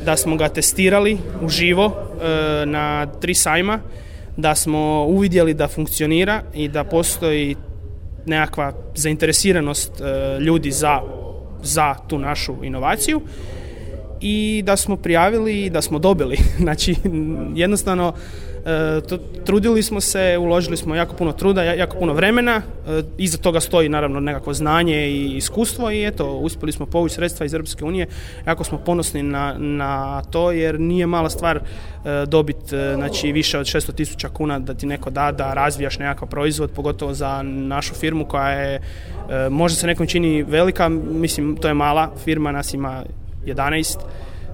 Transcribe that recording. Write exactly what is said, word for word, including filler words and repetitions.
da smo ga testirali uživo na tri sajma, da smo uvidjeli da funkcionira i da postoji nekakva zainteresiranost ljudi za, za tu našu inovaciju i da smo prijavili i da smo dobili. Znači, jednostavno to, trudili smo se, uložili smo jako puno truda, jako puno vremena, iza toga stoji naravno nekakvo znanje i iskustvo i eto, uspjeli smo povući sredstva iz Europske unije, jako smo ponosni na, na to jer nije mala stvar dobiti znači, više od šesto tisuća kuna da ti neko da da razvijaš nekakav proizvod, pogotovo za našu firmu koja je, možda se nekom čini velika, mislim to je mala firma, nas ima jedanaest